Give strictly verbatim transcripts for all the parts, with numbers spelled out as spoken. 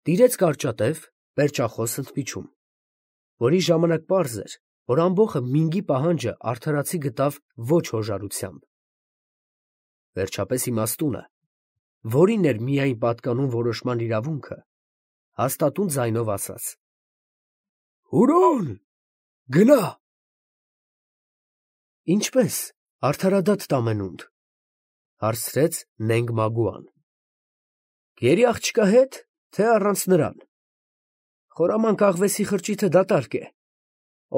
Տիրեց կարճատև, պերճախոս ընդմիջում, որի ժամանակ պարզ էր, որ ամբոխը մինգի պահանջը արդարացի գտավ ոչ հոժարությամբ. վերջապես իմաստունը, որին էր միայն պատկանում որոշման իրավունքը, հաստատուն ձայնով ասաց. «Հուրոն, գնա»։ «Ինչպե՞ս, արդարադատ տամենունդ», հարցրեց նենգ Մագուան. «Գերի աղջկա հետ, թե առանց նրան։ Խորամանկ աղվեսի խրճիթը դատարկ է,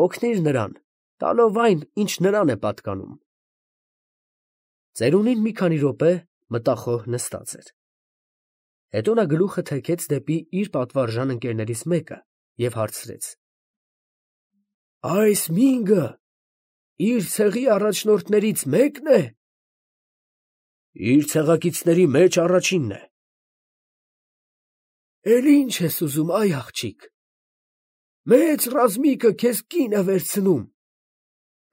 օգնիր նրան, տալով այն, ինչ նրան է պատկանում»։ Ծերունին մի քանի րոպե մտախոհ նստած էր. հետո նա գլուխը թեքեց դեպի իր պատվարժան ընկերներից մեկը և հարցրեց. «Այս մինգը իր ցեղի առաջնորդներից մեկն է»։ «Իր ցեղակիցների մեջ առաջինն է»։ «Էլ ի՞նչ ես ուզում, այ աղջիկ, մեծ ռազմիկը քեզ կին է վերցնում,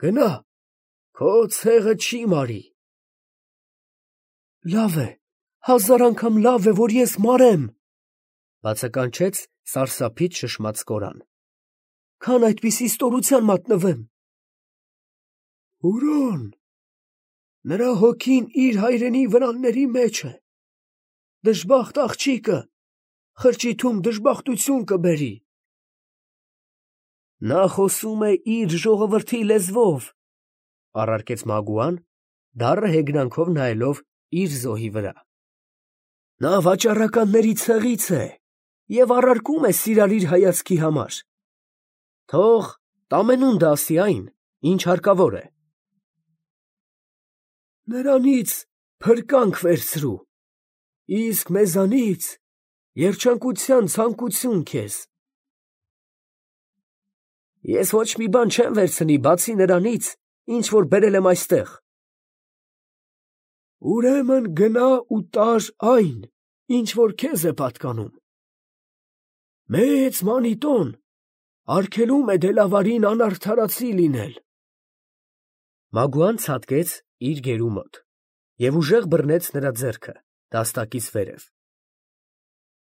գնա, քո ցեղը չի մարի»։ «Լավ է, հազար անգամ լավ է, որ ես մարեմ», բացականչեց սարսափից շշմած Կորան, «քան այդպիսի ստորության մատնվեմ»։ «Հուրոն, նրա հոգին իր հայրենի վրանների մեջ է, դժբախտ աղջիկը խրճիթում դժբախտություն կբերի»։ «Նա խոսում է իր ժողովրդի լեզվով», առարկեց Մագուան, դառը հեգնանքով նայելով իր զոհի վրա։ «Նա վաճառականների ցեղից է և առարկում է սիրալիր հայացքի համար։ Թող տամենունդը ասի այն, ինչ հարկավոր է»։ «Նրանից փրկանք վերցրու, իսկ մեզանից երջանկության ցանկություն քեզ»։ «Ես ոչ մի բան չեմ վերցնի, բացի նրանից, ինչ որ բերել եմ այստեղ»։ «Ուրեմն գնա ու տար այն, ինչ որ քեզ է պատկանում։ Մեծ մանիտոն արգելում է դելավարին անարդարացի լինել»։ Մագուան ցատկեց իր գերու մոտ և ուժեղ բռնեց նրա ձեռքը դաստակից վերև։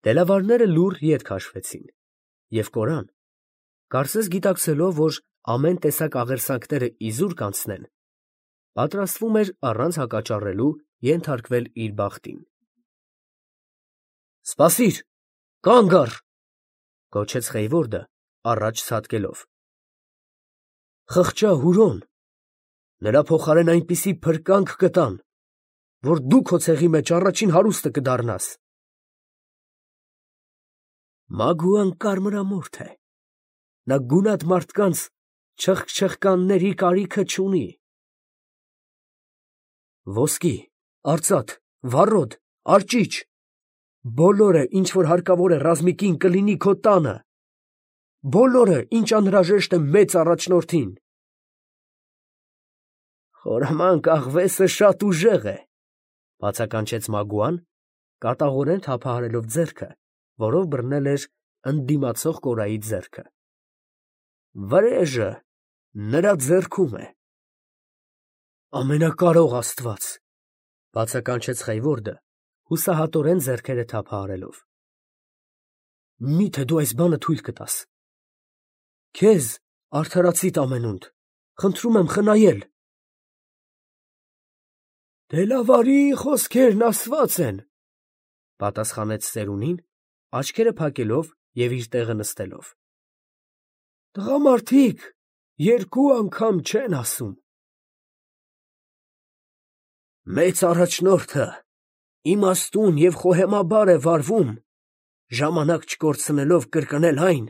Դելավարները լուռ ետ քաշվեցին, և Կորան, կարծես գիտակցելով, որ ամեն տեսակ աղերսանքները իզուր կանցնեն, պատրաստվում էր առանց հակաճառելու ենթարկվել իր բախտին։ «Սպասիր, կանգ առ», գոչեց Խեյվորդը, առաջ ցատկելով։ «Խղճա, Հուրոն, նրա փոխարեն այնպիսի փրկանք կտան, որ դու քո ցեղի մեջ առաջին հարուստը կդառնաս»։ Մագուան կարմրամորթ է, նա գունատ մարդկանց չխկչխկանների կարիքը չունի։ Ոսկի, արծաթ, վառոդ, արճիճ, բոլորը, ինչ որ հարկավոր է ռազմիկին, կլինի քո տանը, բոլորը, ինչ անհրաժեշտ է մեծ առաջնորդին։ «Խորամանկ աղվեսը շատ ուժեղ է», բացականչեց Մագուան, կատաղորեն թափահարելով ձեռքը, որով բռնել էր ընդդիմացող Կորայի ձեռքը։ «Վրեժը նրա ձեռքում է»։ «Ամենակարող Աստված», բացականչեց Խեյվորդը, հուսահատորեն ձեռքերը թափահարելով, «մի՞թե դու այս բանը թույլ կտաս։ Քեզ, արդարացի տամենունդ, խնդրում եմ խնայել»։ «Դելավարի խոսքերն ասված են», պատասխանեց ծերունին, աչքերը փակելով և իր տեղը նստելով։ «Տղամարդիկ երկու անգամ չեն ասում»։ «Մեծ առաջնորդը իմաստուն և խոհեմաբար է վարվում, ժամանակ չկորցնելով կրկնել այն,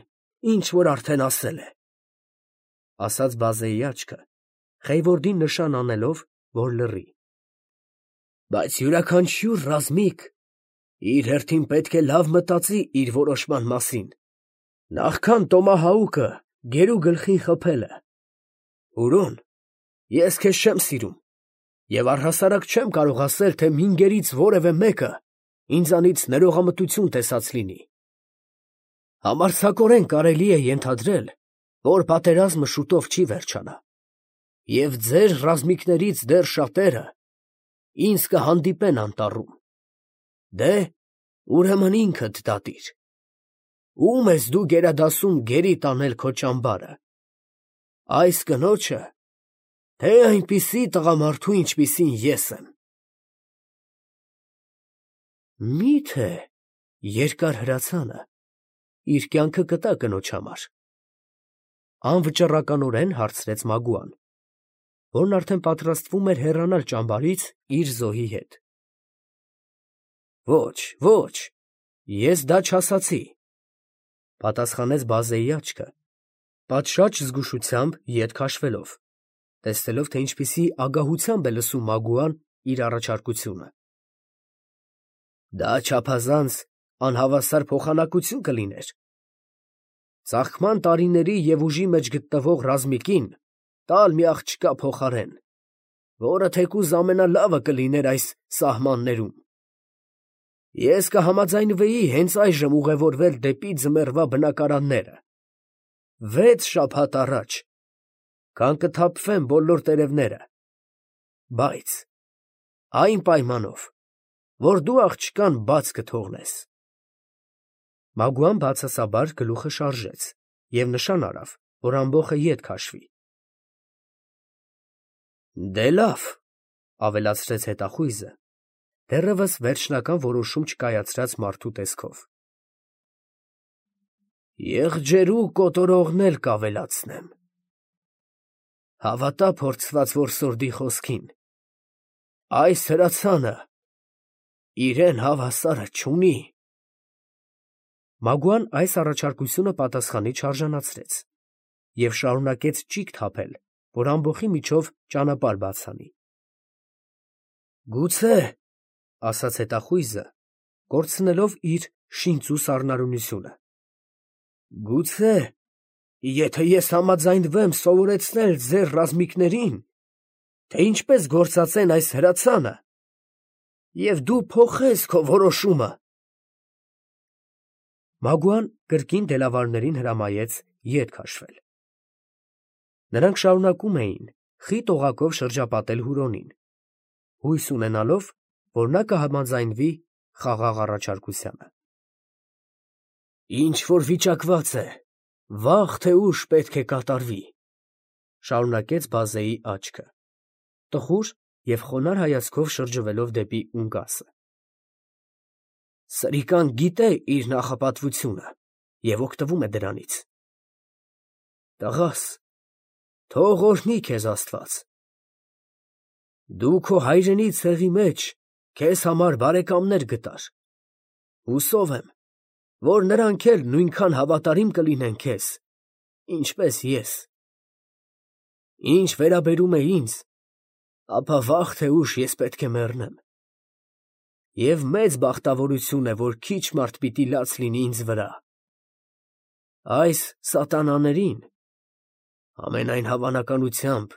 ինչ որ արդեն ասել է», ասաց բազեի աչքը, Խեյվորդին նշան անելով, որ լռի։ «Բայց յուրաքանչյուր ռազմիկ իր հերթին պետք է լավ մտածի իր որոշման մասին, նախքան տոմահաուկը գերու գլխին խփելը։ Հուրոն, ես քեզ չեմ սիրում և առհասարակ չեմ կարող ասել, թե մինգերից որևէ մեկը ինձանից ներողամտություն տեսած լինի։ Համարձակորեն կարելի է ենթադրել, որ պատերազմը շուտով չի վերջանա, և ձեր ռազմիկներից դեռ շատերը ինձ կհանդիպեն անտառում։ Դե, ուրեմն ինքդ դատիր, Ո՞ւմ ես դու գերադասում գերի տանել քո ճամբարը, այս կնոջը, թե այնպիսի տղամարդու, ինչպիսին ես եմ։ Մի՞թե երկար հրացանը իր կյանքը կտա կնոջ համար, անվճռականորեն հարցրեց Մագուան, որն արդեն պատրաստվում էր հեռանալ ճամբարից իր զոհի հետ։ Ոչ, ոչ, ես դա չասացի, պատասխանեց Բազեի աչքը, պատշաճ զգուշությամբ ետ քաշվելով, տեսնելով, թե ինչպիսի ագահությամբ է լսում Մագուան իր առաջարկությունը։ Դա չափազանց անհավասար փոխանակություն կլիներ։ Ծաղկման տարիների և ուժի մեջ գտնվող ռազմիկին տալ մի աղջկա փոխարեն, որը թեկուզ ամենալավը կլիներ այս սահմաններում։ Ես կհամաձայնվեի հենց այժմ ուղևորվել դեպի ձմեռվա բնակարանները, վեց շաբաթ առաջ, քան կթափվեն բոլոր տերևները, բայց այն պայմանով, որ դու աղջկան բաց կթողնես։ Մագուան բացասաբար գլուխը շարժեց և նշան արավ, որ ամբոխը ետ քաշվի։ Դե լավ, ավելացրեց հետախույզը, դեռևս վերջնական որոշում չկայացրած մարդու տեսքով։ Եղջերու կոտորողն էլ կավելացնեմ։ Հավատա փորձված որսորդի խոսքին, այս հրացանը իրեն հավասարը չունի։ Մագուան այս առաջարկությունը պատասխանի չարժանացրեց և շարունակեց ճիգ թափել, որ ամբոխի միջով ճանապարհ բաց անի։ Գուցե, ասաց հետախույզը, կորցնելով իր շինծու սառնարյունությունը, գուցե, եթե ես համաձայնվեմ սովորեցնել ձեր ռազմիկներին, թե ինչպես գործածեն այս հրացանը, և դու փոխես քո որոշումը։ Մագուան կրկին դելավարներին հրամայեց ետ քաշվել։ Նրանք շարունակում էին խիտ օղակով շրջապատել Հուրոնին, հույս ունենալով, որ նա կհամաձայնվի խաղաղ առաջարկությանը։ Ինչ որ վիճակված է, վաղ թե ուշ պետք է կատարվի, շարունակեց Բազեի աչքը, տխուր և խոնարհ հայացքով շրջվելով դեպի ունկասը։ Սրիկան գիտե իր նախապատվությունը և օգտվում է դրանից։ Տղաս, թող օրհնի քեզ Աստված։ Դու քո հայրենի ցեղի մեջ քեզ համար բարեկամներ գտար, հուսով եմ, որ նրանք էլ նույնքան հավատարիմ կլինեն քեզ, ինչպես ես։ Ինչ վերաբերում է ինձ, ապա վաղ թե ուշ ես պետք է մեռնեմ, և մեծ բախտավորություն է, որ քիչ մարդ պիտի լաց լինի ինձ վրա։ Այս սատանաներին, ամենայն հավանականությամբ,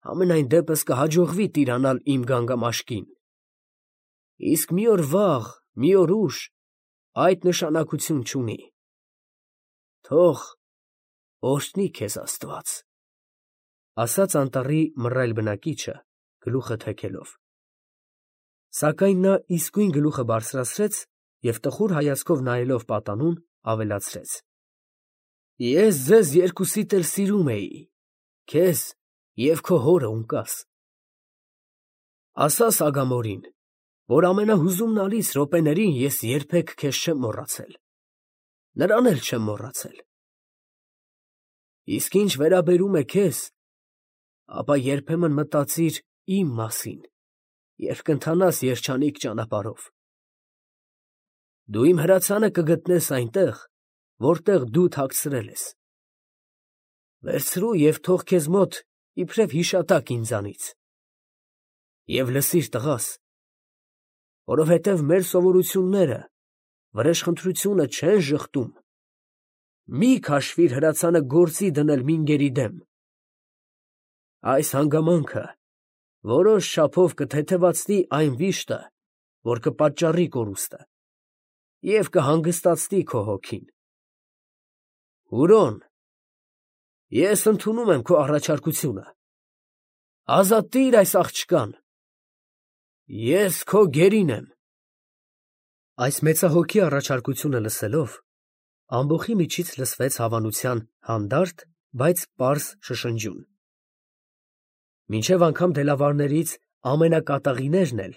համենայն դեպս կհաջողվի տիրանալ իմ գանգամաշկին, իսկ մի օր վաղ, մի օր ուշ այդ նշանակություն չունի։ Թող օրհնի քեզ Աստված, ասաց անտառի մռայլ բնակիչը, գլուխը թեքելով։ Սակայն նա իսկույն գլուխը բարձրացրեց և տխուր հայացքով նայելով պատանուն, ավելացրեց. Ես ձեզ երկուսիդ էլ սիրում էի, քեզ և քո հորը ունկաս։ Ասա Սագամորին, որ ամենահուզումնալից րոպեներին ես երբեք քեզ չեմ մոռացել, նրան էլ չեմ մոռացել։ Իսկ ինչ վերաբերում է քեզ, ապա երբեմն մտածիր իմ մասին, երբ կընթանաս երջանիկ ճանապարհով։ Դու իմ հրացանը կգտնես այնտեղ, որտեղ դու թաքցրել ես։ Վերցրու և թող քեզ մոտ իբրև հիշատակ ինձանից։ Եվ լսիր, տղաս, որովհետև մեր սովորությունները վրեժխնդրությունը չեն ժխտում, մի քաշվիր հրացանը գործի դնել մինգերի դեմ։ Այս հանգամանքը որոշ չափով կթեթևացնի այն վիշտը, որ կպատճառի կորուստը, և կհանգստացնի քո հոգին։ Հուրոն, ես ընդունում եմ քո առաջարկությունը, ազատիր այս աղջկան, ես քո գերին եմ։ Այս մեծահոգի առաջարկությունը լսելով, Ամբոխի միջից լսվեց հավանության հանդարտ, բայց պարզ շշնջյուն։ Մինչև անգամ դելավարներից ամենակատաղիներն էլ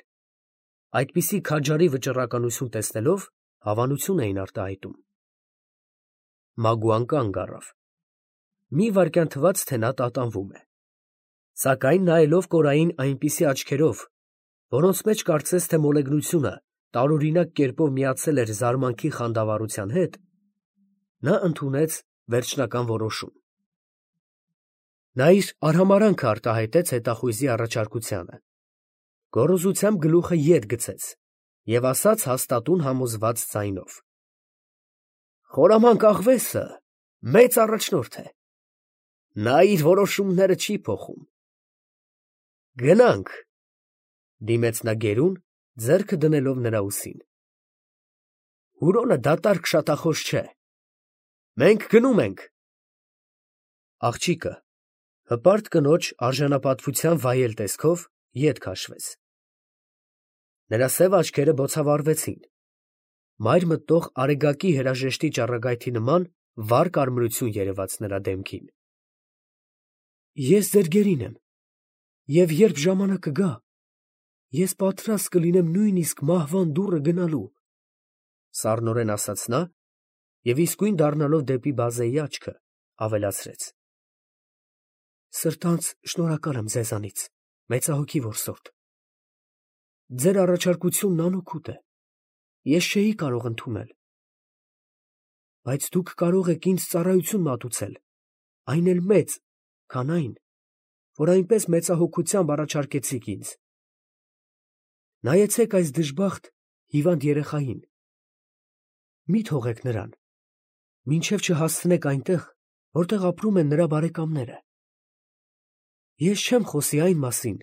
այդպիսի քաջարի վճռականություն տեսնելով հավանություն էին արտահայտում։ Մագուան կանգ առավ։ Մի վայրկյան թվաց, թե նա տատանվում է, սակայն նայելով Կորային այնպիսի աչքերով, որոնց մեջ կարծես թե մոլեգնությունը տարօրինակ կերպով միացել էր զարմանքի խանդավառության հետ, նա ընդունեց վերջնական որոշում։ Նա իր արհամարհանքը արտահայտեց հետախույզի առաջարկությանը, գոռոզությամբ գլուխը ետ գցեց և ասաց հաստատուն համոզված ձայնով. «Խորամանկ աղվեսը մեծ առաջնորդ է, նա իր որոշումները չի փոխում»։ «Գնանք», ֊ դիմեց նա գերուն, ձեռքը դնելով նրա ուսին։ «Հուրոնը դատարկ շատախոս չէ, մենք գնում ենք»։ Աղջիկը հպարտ կնոջ արժանապատվության վայել տեսքով ետ քաշվեց։ Նրա սև աչքերը բոցավառվեցին, մայր մտնող արեգակի երաժեշտի ճառագայթի նման վառ կարմրություն երևաց նրա դեմքին։ «Ես ձեր գերին եմ, և երբ ժամանակը գա, ես պատրաստ կլինեմ նույնիսկ մահվան դուռը գնալու», ֊ սառնորեն ասաց նա և իսկույն դառնալով դեպի բազեի աչքը, ավելացրեց. «Սրտանց շնորհակալ եմ ձեզանից, մեծահոգի որսորդ. ձեր առաջարկությունն անօգուտ է, ես չէի կարող ընդունել, բայց դուք կարող եք ինձ ծառայություն մատուցել, այն էլ մեծ, քան այն, որ այնպես մեծահոգությամբ առաջարկեցիք ինձ։ Նայեցեք այս դժբախտ, հիվանդ երեխային, մի թողեք նրան, մինչև չհասցնեք այնտեղ, որտեղ ապրում են նրա բարեկամները։ Ես չեմ խոսի այն մասին,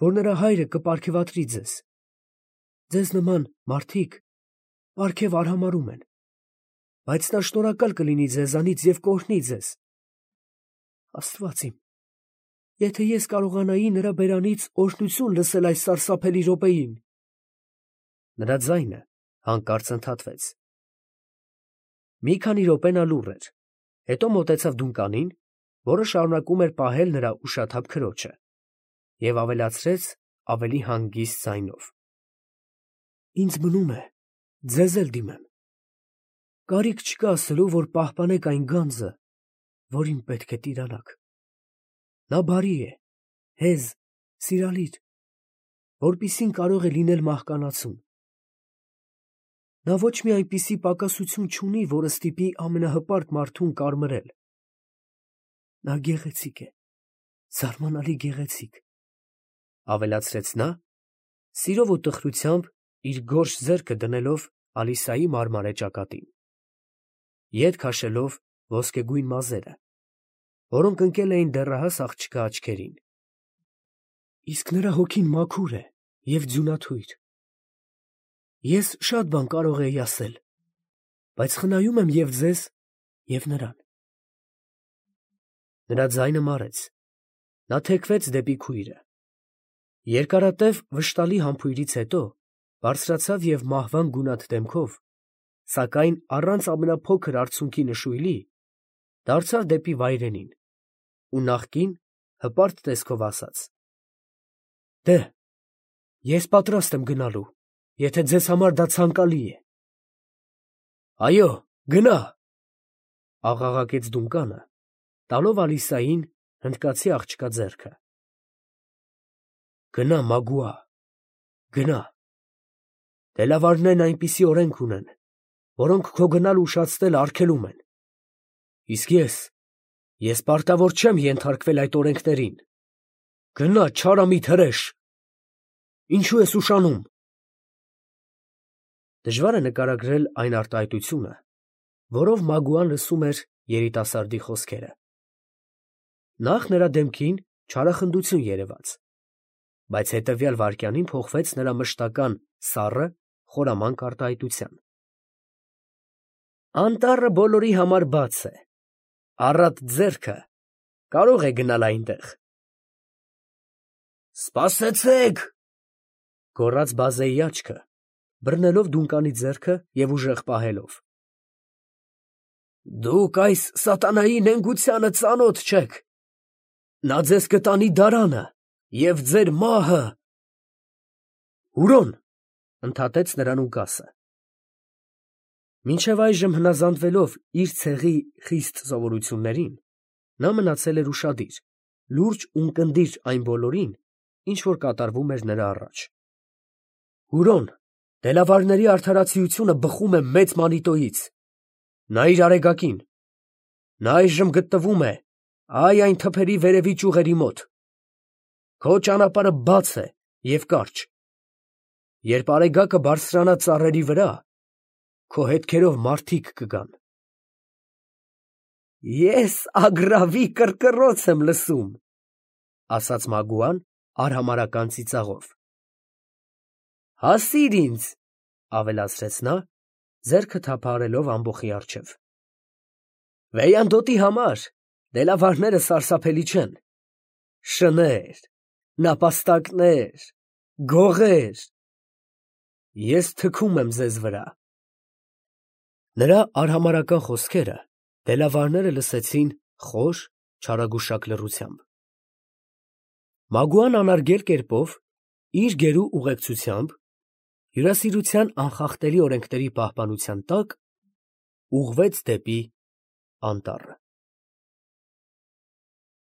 որ նրա հայրը կպարգևատրի ձեզ. ձեզ նման մարդիկ պարգև արհամարհում են, բայց նա շնորհակալ կլինի ձեզանից և կօրհնի ձեզ։ Աստված իմ, եթե ես կարողանայի նրա բերանից օրհնություն լսել այս սարսափելի րոպեին…» Նրա ձայնը հանկարծ ընդհատվեց։ Մի քանի րոպե նա լուռ էր, հետո մոտեցավ դունկանին, որը շարունակում էր պահել նրա ուշաթափ քրոջը, և ավելացրեց ավելի հանգիստ ձայնով. «Ինձ մնում է ձեզ էլ դիմեմ. կարիք չկա ասելու, որ պահպանեք այն գանձը, որին պետք է տիրանաք։ Նա բարի է, հեզ, սիրալիր, որպիսին կարող է լինել մահկանացուն։ Նա ոչ մի այնպիսի պակասություն չունի, որը ստիպի ամենահպարտ մարդուն կարմրել։ Նա գեղեցիկ է, զարմանալի գեղեցիկ», ֊ ավելացրեց նա, սիրով ու տխրությամբ իր գորշ ձեռքը դնելով Ալիսայի մարմարե ճակատին, ետ քաշելով ոսկեգույն մազերը, որոնք ընկել էին դեռահաս աղջկա աչքերին։ «Իսկ նրա հոգին մաքուր է և ձյունաթույր։ Ես շատ բան կարող էի ասել, բայց խնայում եմ և ձեզ, և նրան»։ Նրա ձայնը մարեց, նա թեքվեց դեպի քույրը։ Երկարատև վշտալի համբույրից հետո բարձրացավ և մահվան գունատ դեմքով, սակայն առանց ամենափոքր արցունքի նշույլի, դարձավ դեպի վայրենին ու նախկին հպարտ տեսքով ասաց. «Դե՛հ, ես պատրաստ եմ գնալու, եթե ձեզ համար դա ցանկալի է»։ «Այո, գնա», ֊ աղաղակեց դունականը, տալով Ալիսային հնդկացի աղջկա ձեռքը։ «Գնա, Մագուա, գնա. դելավարներն այնպիսի օրենք ունեն, որոնք քո գնալը ուշացնելը արգելում են, իսկ ես, ես պարտավոր չեմ ենթարկվել այդ օրենքներին։ Գնա, չարամիտ հրեշ, ինչո՞ւ ես ուշանում»։ Դժվար է նկարագրել այն արտահայտությունը, որով Մագուան լսում էր երիտասարդի խոսքերը։ Նախ նրա դեմքին չարախնդություն երևաց, բայց հետևյալ վայրկյանին փոխվեց նրա մշտական սառը, խորամանկ արտահայտության։ «Անտառը բոլորի համար բաց է, առատ ձեռքը կարող է գնալ այնտեղ»։ «Սպասեցե՛ք», ֊ գոռաց բազեի աչքը, բռնելով դուկանի ձեռքը և ուժեղ պահելով։ Դուք այս սատանայի նենգությանը ծանոթ չեք. նա ձեզ կտանի դարանը և ձեր մահը։ Հուրոն, ընդհատեց նրան Ուկասը։ Մինչև այժմ հնազանդվելով իր ցեղի խիստ սովորություններին, նա մնացել էր ուշադիր, լուրջ ու ունկնդիր այն բոլորին, ինչ որ կատարվում էր նրա առաջ։ Հուրոն, դելավարների արդարացիությունը բխում է մեծ Մանիտոյից։ Նայիր արեգակին. նա այժմ գտնվում է այ այն թփերի վերևի ճյուղերի մոտ։ Քո ճանապարհը բաց է և կարճ։ Երբ արեգակը բարձրանա ծառերի վրա, քո հետքերով մարդիկ կգան։ Ես ագռավի կռկռոց եմ լսում, ասաց Մագուան արհամարհական ծիծաղով։ Հասիր ինձ, ավելացրեց նա, ձեռքը թափահարելով ամբոխի առջև։ Վեյանդոտի համար դելավարները սարսափելի չեն։ Շներ, նապաստակներ, գողեր… Ես թքում եմ ձեզ վրա։ Նրա արհամարհական խոսքերը դելավարները լսեցին խոր, չարագուշակ լռությամբ։ Մագուան անարգել կերպով, իր գերու ուղեկցությամբ, հյուրասիրության անխախտելի օրենքների պահպանության տակ, ուղղվեց դեպի անտառը։